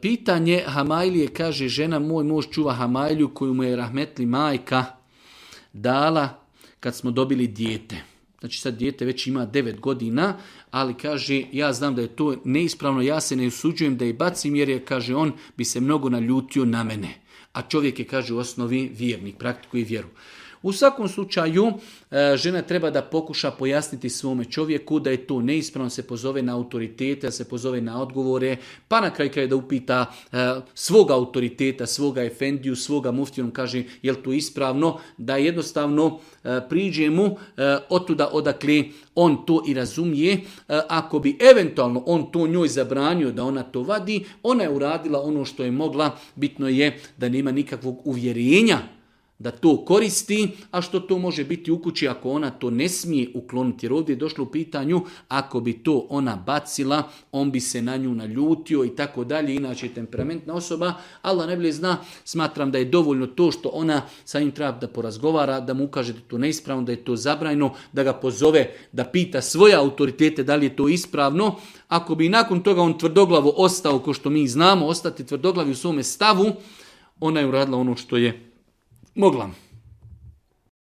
Pitanje Hamajlije, kaže žena, moj muž čuva Hamajliju koju mu je rahmetli majka dala kad smo dobili dijete. Znači sad dijete već ima 9 godina, ali kaže ja znam da je to neispravno, ja se ne usuđujem da je bacim jer je, kaže on, bi se mnogo naljutio na mene. A čovjek je, kaže, u osnovi vjernik, praktikuje vjeru. U svakom slučaju, žena treba da pokuša pojasniti svome čovjeku da je to neispravno, se pozove na autoritete, da se pozove na odgovore, pa na kraju da upita svoga autoriteta, svoga efendiju, svoga muftiju, on kaže je li to ispravno, da jednostavno priđe mu otuda odakle on to i razumije. Ako bi eventualno on to njoj zabranio da ona to vadi, ona je uradila ono što je mogla, bitno je da nema nikakvog uvjerenja da to koristi, a što to može biti u kući ako ona to ne smije ukloniti. Jer ovdje je došlo u pitanju, ako bi to ona bacila, on bi se na nju naljutio i tako dalje, inače je temperamentna osoba. Allah najbolje zna, smatram da je dovoljno to što ona sa njim treba da porazgovara, da mu ukaže da je to neispravno, da je to zabranjeno, da ga pozove, da pita svoje autoritete da li je to ispravno. Ako bi nakon toga on tvrdoglavo ostao, ko što mi znamo, ostati tvrdoglavi u svome stavu, ona je uradila ono što je mogla.